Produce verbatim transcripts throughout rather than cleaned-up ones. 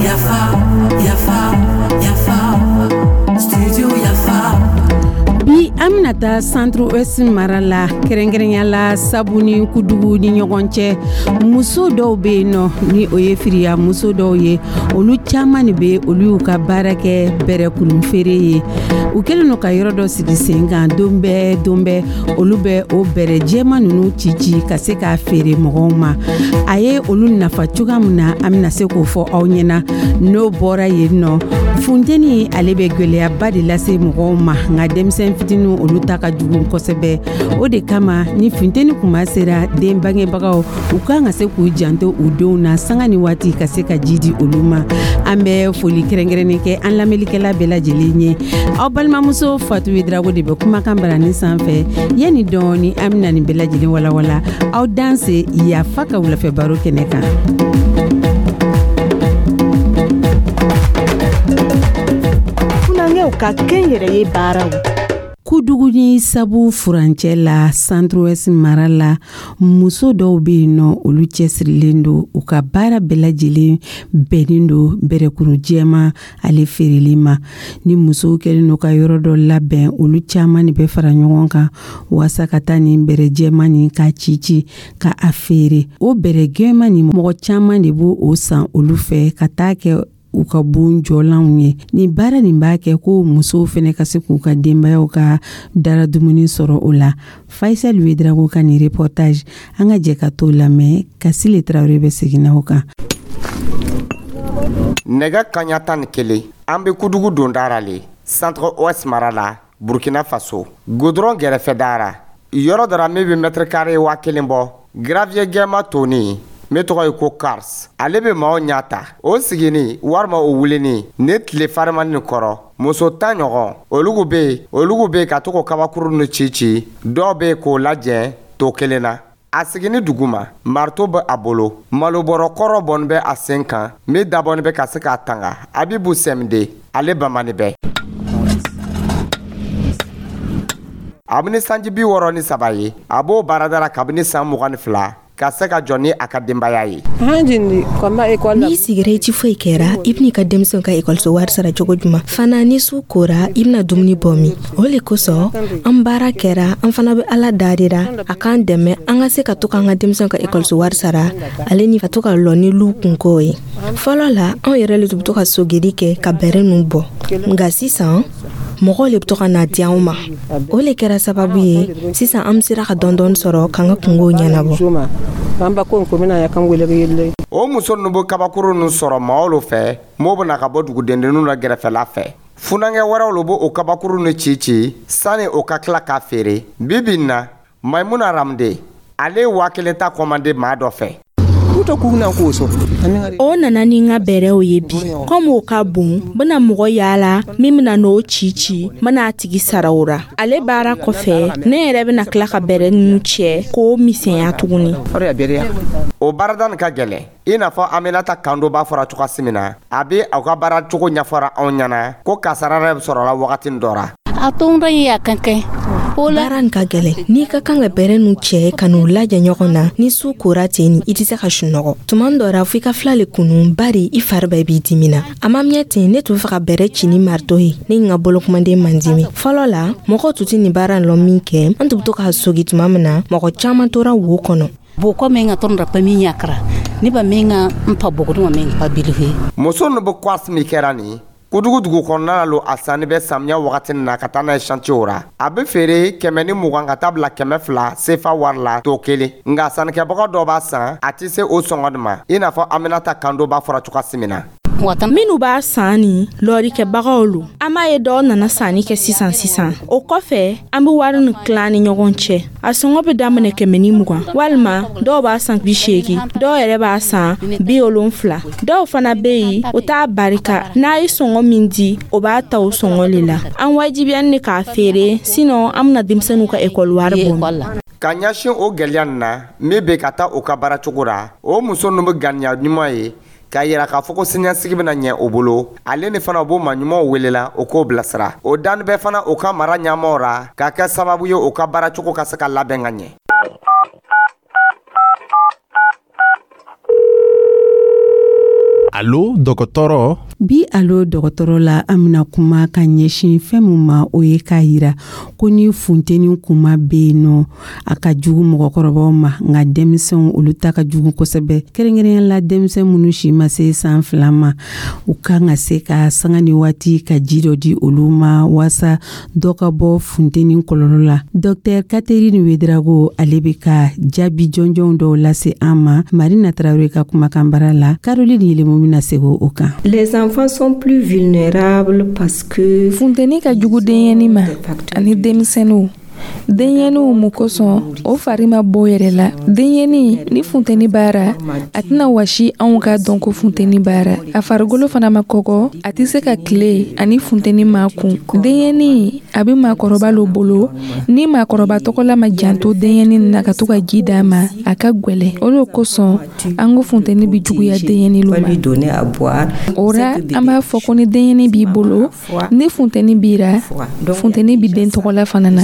Yafa, yafa, yafa, studio Yafa. Bi, an bɛna taa Centre Ouest mara la, kɛrɛnkɛrɛnya la Sabu ni Kudugu ni ɲɔgɔn cɛ. Muso dɔw bɛ yen nɔ, ni o ye firiya muso dɔw ye, olu caman de bɛ, olu y'u ka baara kɛ bɛrɛkurun feere ye. U kɛlen don ka yɔrɔ dɔ sigi sen kan. Don bɛɛ don bɛɛ, olu bɛ o bɛrɛ jɛman ninnu ci ci ka se k'a feere mɔgɔw ma. A ye olu nafa cogoya min na, an bɛna se k'o fɔ aw ɲɛna. N'o bɔra yen nɔ, funteni, ale bɛ gwɛlɛyaba de lase mɔgɔw ma, nka denmisɛn fitininw, olu ta ka jugu kosɛbɛ. O de kama, ni funteni kuma sera, den bangebagaw, u kan ka se k'u janto u denw na sanga ni waati, ka se ka ji di olu ma. An bɛ foli kɛrɛnkɛrɛnnen kɛ an lamɛnlikɛla bɛɛ lajɛlen ye. Aw balimamuso Fatu Drago de bɛ kumakan barani sanfɛ. Yanni dɔɔni, an bɛna nin bɛɛ lajɛlen walawala. Aw danse Yafa ka wulafɛ baro kɛnɛ kan. Funankɛw ka kɛnyɛrɛye baaraw. Kudugu ni Sabu furancɛ la, Centre mara la, muso dɔw bɛ yen nɔ, olu cɛsirilen don. U ka baara bɛɛ lajɛlen bɛnnen don bɛrɛkuru jɛma ale feereli ma. Ni musow kɛlen don ka yɔrɔ dɔ labɛn, olu caman de bɛ fara ɲɔgɔn kan waasa ka taa nin bɛrɛ jɛma nin ka ci ci ka a feere. O bɛrɛ jɛma nin, mɔgɔ caman de b'o o san olu fɛ ka taa kɛ u ka bon jɔlanw ye. Nin baara nin b'a kɛ ko musow fɛnɛ ka se k'u ka denbayaw ka dara dumuni sɔrɔ o la. Faisal Ouédraogo ka nin reportage, an ka jɛ ka t'o lamɛn. Kasile Tarawele bɛ segin o kan. Nɛgɛ kaɲa tan ni kelen, an be Kudugu dondara le, Centre Ouest mara la, Burkina Faso, goudron gɛrɛfɛdara, yɔrɔ dɔ ra min be mètre carré waa kelen bɔ. Gravier gɛma toni min tɔgɔ ye ko quartz, ale be maaw ɲa ta. O sigini walima o wulini ni tile farimani nin kɔrɔ, muso tan ɲɔgɔn, olugu be olugu be ka to k'o kabakuru nu ci ci. Dɔw be k'o lajɛ to kelen na. A sigini duguma, marteau bɛ a bolo, malobɔrɔ kɔrɔ bɔni bɛ a sen kan min dabɔni bɛ ka se k'a tanga. Abibu Sɛmde, ale bamani bɛ. A bɛ ni sanji bi wɔɔrɔ ni saba ye, a b'o baarada la kabini san mugan ni fila ka se ka jɔ ni a ka denbaya ye. N'i sigira, i ti foyi kɛra, i bɛn'i ka denmisɛnw ka ekɔliso wari sara cogo juman? Fana, ni su kora, i bɛna dumuni bɔ min? O le kosɔn an baara kɛra. An fana bɛ Ala darira a k'an dɛmɛ, an ka se ka to k'an ka denmisɛnw ka ekɔliso wari sara, ale ni ka to ka lɔ ni lu kunkow ye. Fɔlɔ la, anw yɛrɛ le tun bɛ to ka sogeli kɛ ka bɛrɛ nu bɔ, nka sisan mɔgɔw le bɛ to ka na di anw ma. O le kɛra sababu ye, sisan an bɛ sera ka dɔɔni dɔɔni sɔrɔ k'an ka kungow ɲɛnabɔ. O muso ninnu bɛ kabakuru ninnu sɔrɔ maaw lo fɛ m'o bɛna ka bɔ dugudendenninw la gɛrɛfɛla fɛ. Funankɛ wɛrɛw lo b'o kabakuru ninnu ci ci sani o ka tila k'a feere. Bi bi in na, Maimuna Ramde, ale ye waa kelen ta kɔmande maa dɔ fɛ. O nana ni n ka bɛrɛw ye bi. Komi o ka bon, n bɛna mɔgɔ yaala min bɛna n'o ci ci, n bɛna a tigi sara o ra. Ale baara kɔfɛ, ne yɛrɛ bɛna tila ka bɛrɛ ninnu cɛ k'o misɛnya tuguni. O baarada nin ka gɛlɛn, i n'a fɔ Aminata Kando b'a fɔra cogoya min na. A bɛ aw ka baara cogo ɲɛfɔra anw ɲɛna ko kasara yɛrɛ sɔrɔla wagati dɔ ra. A tɔn ye a kan kɛ. Baara nin ka gɛlɛn. N'i ka kan ka bɛrɛ nu cɛ ka n'u lajɛ ɲɔgɔn na, ni su kora ten, ni i tɛ se ka sunɔgɔ. Tuma dɔ ra, fo i ka fila le kunu, bari i fari bɛɛ b'i dimi na. A ma mɛn ten, ne tun fɛ ka bɛrɛ ci ni marteau ye, ne n ka bolokumaden man dimi. Fɔlɔ la, mɔgɔw tun tɛ nin baara lɔ min kɛ, an tun bɛ to k'a sogi. Tuma min na, mɔgɔ caman tora wo kɔnɔ. Bɔkɔ min ka tɔn pa min yakara ne ba min ka n pa bɔgɔ min pa bilife. Muso ninnu bɛ quartz min kɛra nin Kudugu dugu kɔnɔna lo, a sanni bɛ samiya wagati na ka taa n'a ye chantier ra. A bɛ feere kɛmɛ ni mugan ka taa bila kɛmɛ fila sefa wari la to kelen, nka sannikɛbaga dɔ b'a san, a tɛ se o sɔngɔ nin ma, i n'a fɔ Aminata Kando b'a fɔra cogoya min na. Minnu b'a san ni lɔrikɛbagaw lo, an b'a ye dɔw nana sanni kɛ sisan sisan. O kɔfɛ, an be wari ni tilan ni ɲɔgɔn cɛ. A sɔngɔ be daminɛ kɛmɛ ni mugan, walima dɔw b'a san bi seegi, dɔw yɛrɛ b'a san bi wolonfila. Dɔw fana be yen, o t'a barika. N'a ye sɔngɔ min di, o b'a ta o sɔngɔ le la. An wajibiyani de k'a feere, sinon an bena denmisɛnninw ka ekɔli wari bɔ. Ka ɲɛsin o gɛlɛya nin na min bɛ ka taa o ka baara cogo ra, o muso ninnu bɛ ganiya ɲuman ye k'a yira k'a fɔ ko siniɲɛsigi bɛna ɲɛ o bolo. Ale ni fana, u b'o maa ɲumanw welela, o k'o bilasira. O danni bɛ fana o ka mara ɲɛmaw ra, k'a kɛ sababu ye o ka baara cogo ka se ka labɛn ka ɲɛ. Alo dɔgɔtɔrɔ. Bi Alo dɔgɔtɔrɔ la, an bɛna kuma ka ɲɛsin fɛn min ma, o ye k'a yira ko ni funteni kuma bɛ yen nɔ, a ka jugu mɔgɔkɔrɔbaw ma, nka denmisɛnw olu ta ka jugu kosɛbɛ, kɛrɛnkɛrɛnya la denmisɛn minnu si ma se san fila ma. U kan ka se ka sanga ni waati ka ji dɔ di olu ma waasa dɔ ka bɔ funteni kɔlɔlɔ la. Dɔktɛr Catherine Ouédraogo, ale bɛ ka jaabi jɔnjɔn dɔw lase an ma Marina Tarawele ka kumakan bara la. Caroline Yelemo bɛna segin o kan. Les enfants sont plus vulnérables parce que Funteni ka jugu denyɛni ma ani denmisɛnninw. Denyɛninw mun kosɔn, o fari ma bɔ yɛrɛ la. Denyɛni, ni funteni b'ara, a tɛna wasi anw ka dɔn ko funteni b'ara. A farikolo fana ma kɔgɔ, a tɛ se ka tile ani funteni ma kun. Denyɛni a bɛ maakɔrɔba lo bolo. Ni maakɔrɔba tɔgɔla ma janto denyɛni na ka to ka ji d'a ma, a ka gwɛlɛ. O de kosɔn an ko funteni bɛ juguya denyɛni lo ma. O ra an b'a fɔ ko ni denyɛni b'i bolo, ni funteni b'i ra, funteni bɛ den tɔgɔla fana na.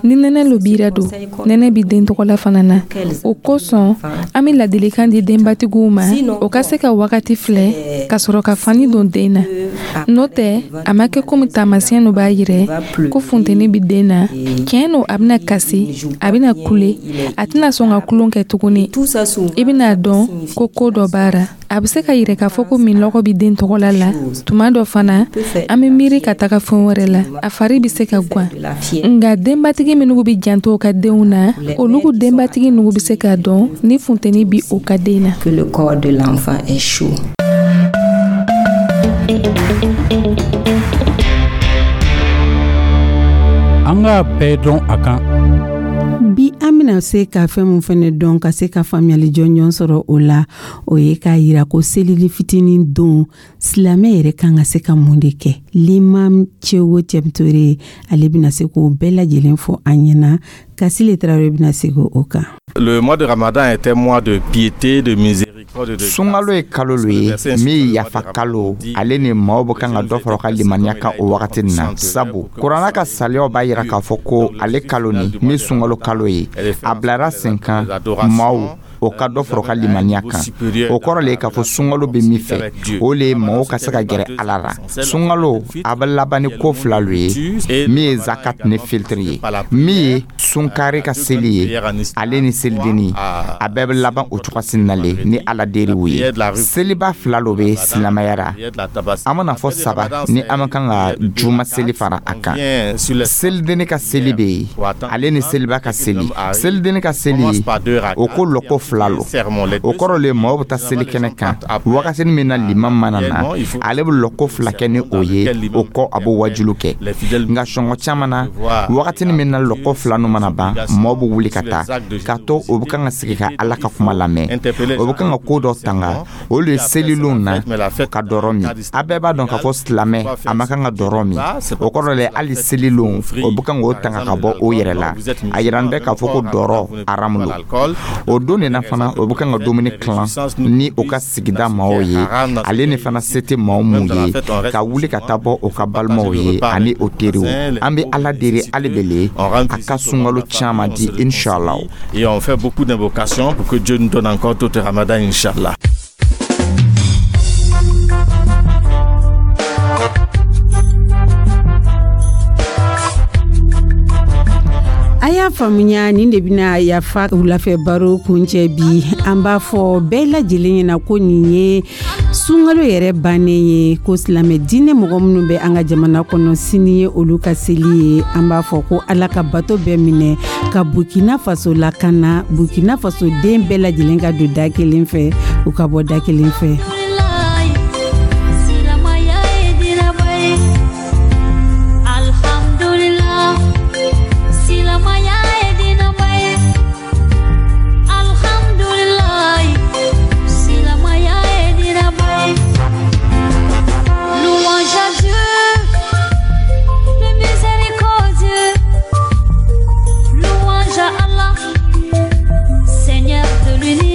Ni nɛnɛ lo b'i ra don, nɛnɛ bɛ den tɔgɔla fana na. O kosɔn an bɛ ladilikan di denbatigiw ma, o ka se ka wagati filɛ ka sɔrɔ ka fani don den na. N'o tɛ, a ma kɛ komi taamasiyɛn dɔ b'a yirɛ ko funteni bɛ den na. Tiɲɛ no, a bɛna kasi, a bɛna kule, a tɛna sɔn ka tulon kɛ tuguni. I bɛna dɔn ko ko dɔ b'a ra. A bɛ se ka yirɛ k'a fɔ ko minlɔgɔ bɛ den tɔgɔla la. Tuma dɔ fana, an bɛ miiri ka taga fɛn wɛrɛ la, a fari bɛ se ka gan. Nka denbatigi minnu bɛ janto u ka denw na, olu denbatigi ninnu bɛ se k'a dɔn ni funteni bɛ o ka den na. Que le corps de l'enfant est chaud. An k'a bɛɛ dɔn a kan. Bi an bɛna se ka fɛn min fɛnɛ dɔn, ka se ka faamuyali jɔnjɔn sɔrɔ o la, o ye k'a yira ko selili fitinin don, silamɛ yɛrɛ kan ka se ka mun de kɛ. L'imam Cɛwo Cɛmtore, ale bɛna se k'o bɛɛ lajɛlen fɔ an ɲɛna. Kasile Tarawele bɛna segin o kan. Le mois de Ramadan est un mois de piété, de miséricorde, de Sunkalo ye kalo lo ye min ye yafa kalo, ale ni maaw bɛ kan ka dɔ fara u ka limaniya kan o wagati nin na, sabu kuranna ka saliyaw b'a yira k'a fɔ ko ale kalo nin min sunkalo kalo ye, a bilara sen kan maaw o ka dɔ fara u ka limaniya kan. O kɔrɔ le ye k'a fɔ sunkalo bɛ min fɛ, o le ye maaw ka se ka gɛrɛ Ala la. Sunkalo a bɛ laban ni ko fila lo ye, min ye zakat ni filtiri ye, min ye sunkari ka seli ye, ale ni selidenni, a bɛɛ bɛ laban o cogoya na le ni Ala deriw ye. Seliba fila lo bɛ silamɛya la, an mana fɔ saba ni an ma kan ka juma seli fara a kan. Selidenni ka seli bɛ yen, ale ni seliba ka seli. Selidenni ka seli, o ko lɔko fila lo. O kɔrɔ le maaw bɛ taa seli kɛnɛ kan wagati min na liman mana na, ale bɛ lɔko fila kɛ ni o ye, o kɔ a bɛ wajulu kɛ. Nka sɔngɔ caman na, wagati min na lɔko fila nu mana ban, maaw bɛ wuli ka taa k'a to o bɛ kan ka sigi ka Ala ka kuma lamɛn, o bɛ kan ka ko dɔ tanga, olu ye selilenw na ka dɔrɔ min. A bɛɛ b'a dɔn k'a fɔ silamɛ a ma kan ka dɔrɔ min. O kɔrɔ le hali selilenw o bɛ kan k'o tanga ka bɔ o yɛrɛ la. A yira bɛ k'a fɔ ko dɔrɔ haramu lo. O don de na fana, o bɛ kan ka dumuni tilan ni o ka sigida maaw ye, ale ni fana se tɛ maaw mun ye ka wuli ka taa bɔ o ka balimaw ye ani o teriw. An bɛ Ala deli hali bele a ka sunkalo caman di, inshallah. Et on fait beaucoup d'invocations pour que Dieu nous donne encore d'autres Ramadan, Inch'Allah. A y'a faamuya, nin de bɛna Yafa wulafɛ baro kuncɛ bi. An b'a fɔ bɛɛ lajɛlen ɲɛna ko nin ye sunkalo yɛrɛ bannen ye, ko silamɛ diinɛ mɔgɔ minnu bɛ an ka jamana kɔnɔ, sini ye olu ka seli ye. An b'a fɔ ko Ala ka bato bɛɛ minɛ, ka Burkina Faso lakana, Burkina Faso den bɛɛ lajɛlen ka don da kelen fɛ, u ka bɔ da kelen fɛ. Seigneur de l'univers.